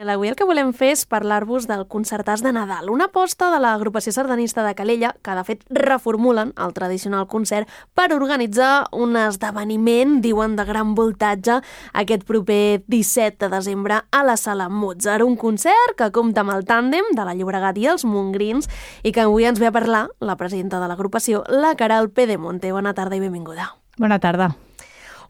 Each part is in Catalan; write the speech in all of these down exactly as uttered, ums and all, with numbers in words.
Avui el que volem fer és parlar-vos del Concertàs de Nadal, una aposta de l'agrupació sardanista de Calella, que de fet reformulen el tradicional concert per organitzar un esdeveniment, diuen, de gran voltatge aquest proper disset de desembre a la Sala Mozart. Un concert que compta amb el tàndem de la Llobregat i els Montgrins i que avui ens ve a parlar la presidenta de l'agrupació, la Queralt Pedemonte. Bona tarda i benvinguda. Bona tarda.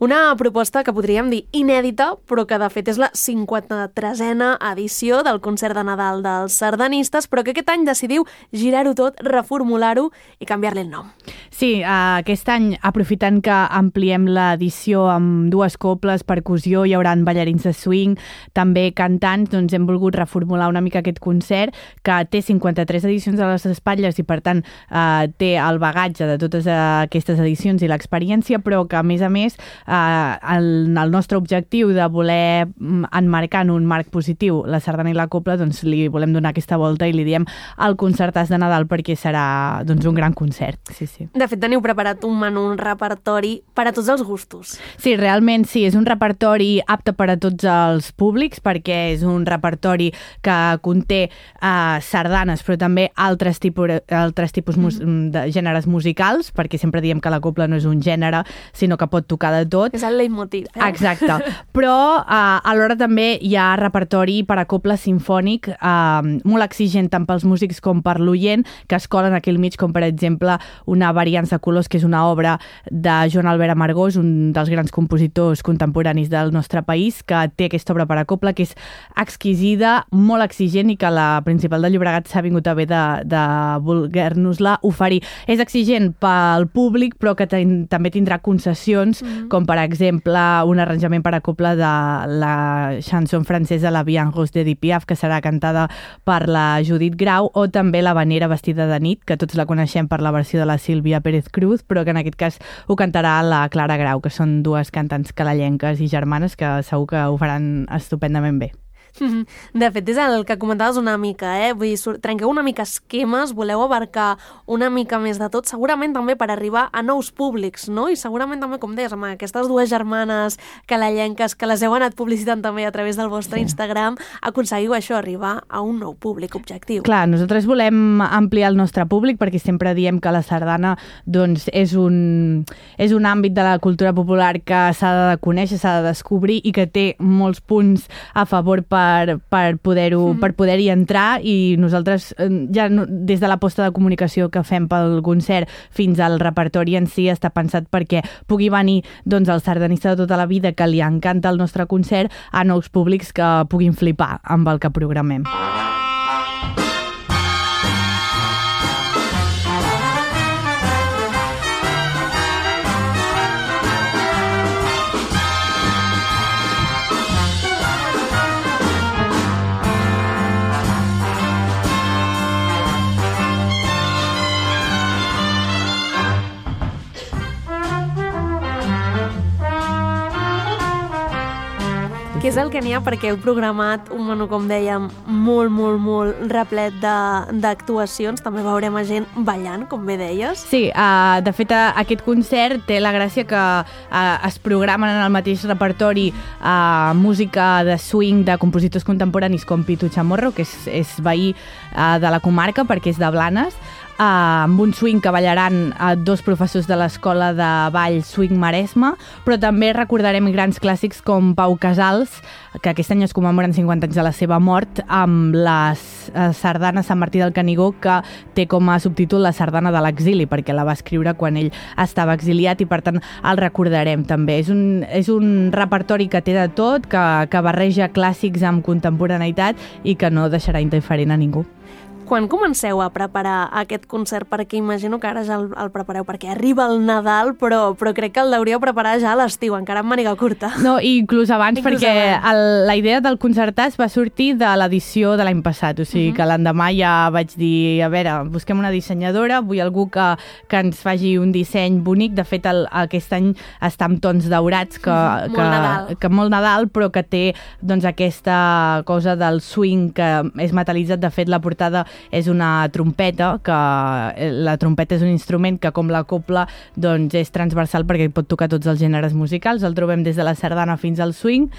Una proposta que podríem dir inèdita, però que de fet és la cinquanta-tresena edició del concert de Nadal dels sardanistes, però que aquest any decidiu girar-ho tot, reformular-ho i canviar-li el nom. Sí, aquest any, aprofitant que ampliem l'edició amb dues cobles, percussió, hi haurà ballarins de swing, també cantants, doncs hem volgut reformular una mica aquest concert, que té cinquanta-tres edicions a les espatlles i per tant eh, té el bagatge de totes aquestes edicions i l'experiència, però que a més a més Uh, el, el nostre objectiu de voler enmarcar en un marc positiu la sardana i la copla, doncs li volem donar aquesta volta i li diem el Concertàs de Nadal perquè serà doncs, un gran concert. Sí, sí. De fet, teniu preparat un menú, un repertori per a tots els gustos. Sí, realment sí, és un repertori apte per a tots els públics perquè és un repertori que conté uh, sardanes però també altres tipus, altres tipus mus- mm. de gèneres musicals, perquè sempre diem que la copla no és un gènere, sinó que pot tocar de tot. És el leitmotiv. Eh? Exacte. Però uh, alhora també hi ha repertori per a copla sinfònic uh, molt exigent tant pels músics com per l'oient, que es colen aquí al mig, com per exemple una Variants de colors, que és una obra de Joan Albert Amargós, un dels grans compositors contemporanis del nostre país, que té aquesta obra per a copla, que és exquisida, molt exigent i que la Principal de Llobregat s'ha vingut a bé de, de voler-nos-la oferir. És exigent pel públic, però que ten, també tindrà concessions, mm-hmm. com per exemple un arranjament per a copla de la chanson francesa La Vie en Rose d'Edith Piaf, que serà cantada per la Judit Grau, o també La Vanera vestida de nit, que tots la coneixem per la versió de la Sílvia Pérez Cruz, però que en aquest cas ho cantarà la Clara Grau, que són dues cantants calellenques i germanes que segur que ho faran estupendament bé. De fet, és el que comentaves una mica, eh? Vull dir, trenqueu una mica esquemes, voleu abarcar una mica més de tot, segurament també per arribar a nous públics, no? I segurament també, com deies, amb aquestes dues germanes calellenques que les heu anat publicitant també a través del vostre sí. Instagram, aconseguiu això, arribar a un nou públic objectiu. Clar, nosaltres volem ampliar el nostre públic perquè sempre diem que la sardana doncs, és, un, és un àmbit de la cultura popular que s'ha de conèixer, s'ha de descobrir i que té molts punts a favor per per, per poder-ho, mm-hmm. per poder-hi entrar, i nosaltres ja no, des de l'aposta de comunicació que fem pel concert fins al repertori en si està pensat perquè pugui venir doncs, el sardanista de tota la vida que li encanta el nostre concert a nous públics que puguin flipar amb el que programem. Què és el que n'hi ha? Perquè heu programat un menú, com dèiem, molt, molt, molt replet d'actuacions. També veurem a gent ballant, com bé deies. Sí, uh, de fet, uh, aquest concert té la gràcia que uh, es programen en el mateix repertori uh, música de swing de compositors contemporanis com Pitu Chamorro, que és, és veí uh, de la comarca perquè és de Blanes, Uh, amb un swing que ballaran uh, dos professors de l'Escola de Ball Swing Maresme, però també recordarem grans clàssics com Pau Casals, que aquest any es commemoren cinquanta anys de la seva mort, amb la uh, sardana Sant Martí del Canigó, que té com a subtítol La sardana de l'exili, perquè la va escriure quan ell estava exiliat i per tant el recordarem també. És un, és un repertori que té de tot, que, que barreja clàssics amb contemporaneïtat i que no deixarà indiferent a ningú. Quan comenceu a preparar aquest concert? Perquè imagino que ara ja el, el prepareu, perquè arriba el Nadal, però, però crec que el hauríeu preparar ja a l'estiu, encara amb màniga curta. No, inclús abans, inclús perquè abans. El, la idea del Concertàs va sortir de l'edició de l'any passat, o sigui uh-huh. que l'endemà ja vaig dir, a veure, busquem una dissenyadora, vull algú que, que ens faci un disseny bonic. De fet, el, aquest any està amb tons daurats, que, uh-huh. que, molt Nadal. que molt Nadal, però que té doncs, aquesta cosa del swing que és metal·litzat. De fet, la portada és una trompeta, que la trompeta és un instrument que, com la copla, doncs és transversal perquè pot tocar tots els gèneres musicals. El trobem des de la sardana fins al swing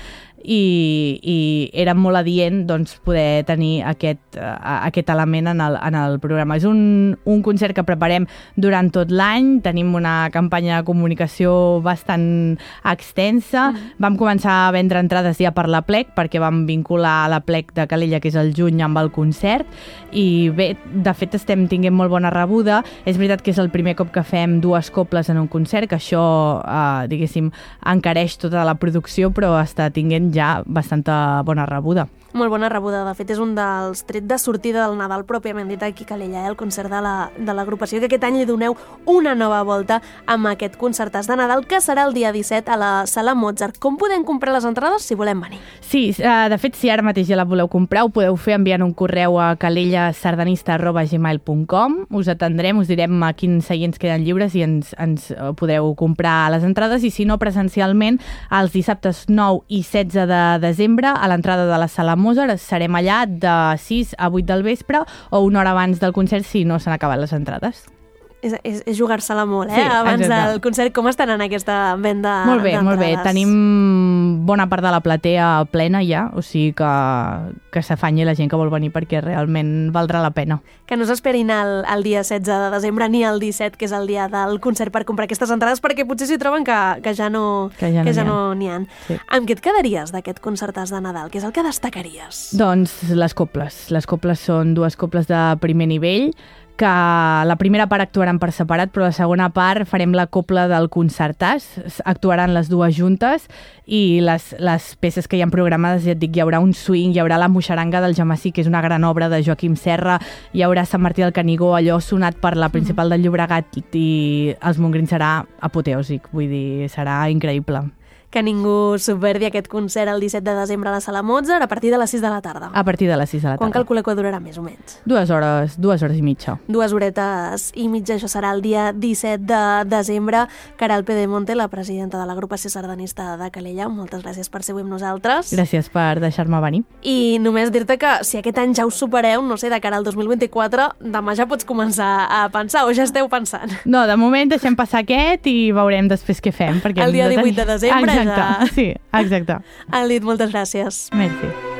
i, i era molt adient doncs, poder tenir aquest, uh, aquest element en el, en el programa. És un, un concert que preparem durant tot l'any, tenim una campanya de comunicació bastant extensa, mm. vam començar a vendre entrades ja per la plec, perquè vam vincular la plec de Calella, que és el juny, amb el concert, i bé, de fet estem tinguent molt bona rebuda. És veritat que és el primer cop que fem dues cobles en un concert, que això, eh, diguéssim, encareix tota la producció, però està tinguent ja bastanta bona rebuda. Molt bona rebuda. De fet, és un dels trets de sortida del Nadal pròpiament dit aquí a Calella, eh? El concert de la, de l'agrupació, que aquest any li doneu una nova volta amb aquest concertàs de Nadal, que serà el dia disset a la Sala Mozart. Com podem comprar les entrades si volem venir? Sí, de fet, si ara mateix ja la voleu comprar, ho podeu fer enviant un correu a calellasardanista arroba gmail punt com. Us atendrem, us direm a quins seients queden lliures i ens, ens podeu comprar les entrades, i si no, presencialment, els dissabtes nou i setze de desembre, a l'entrada de la Sala Mozart, serem allà de sis a vuit del vespre o una hora abans del concert si no s'han acabat les entrades. És, és, és jugar-se-la molt, eh? Sí, abans exacte. del concert. Com estan en aquesta venda Molt bé, d'entrades? molt bé. Tenim bona part de la platea plena ja, o sigui que, que s'afanyi la gent que vol venir, perquè realment valdrà la pena. Que no s'esperin el, el dia setze de desembre ni el disset, que és el dia del concert, per comprar aquestes entrades, perquè potser s'hi troben que, que ja no que ja no que ja n'hi ha. no n'hi ha. Sí. Amb què et quedaries d'aquest concertàs de Nadal? Què és el que destacaries? Doncs les coples. Les coples són dues coples de primer nivell, que la primera part actuaran per separat, però la segona part farem la copla del concertàs, actuaran les dues juntes, i les, les peces que hi ha programades, ja et dic, hi haurà un swing, hi haurà la Moixaranga del Jamací, que és una gran obra de Joaquim Serra, hi haurà Sant Martí del Canigó, allò sonat per la principal del Llobregat, i els Montgrins serà apoteòsic, vull dir, serà increïble. Que ningú subverdi aquest concert el disset de desembre a la Sala Mozart a partir de les sis de la tarda. A partir de les sis de la tarda. Quan calculeu que durarà més o menys? Dues hores, dues hores i mitja. Dues horetes i mitja, això serà el dia disset de desembre. Caral Pedemonte, la presidenta de l'agrupació sardanista de Calella, moltes gràcies per ser avui amb nosaltres. Gràcies per deixar-me venir. I només dir-te que si aquest any ja us supereu, no sé, de cara al dos mil vint-i-quatre, demà ja pots començar a pensar, o ja esteu pensant? No, de moment deixem passar aquest i veurem després què fem. Perquè el dia de divuit de desembre exacte, ja... sí, exacte. Alit, moltes gràcies. Merci.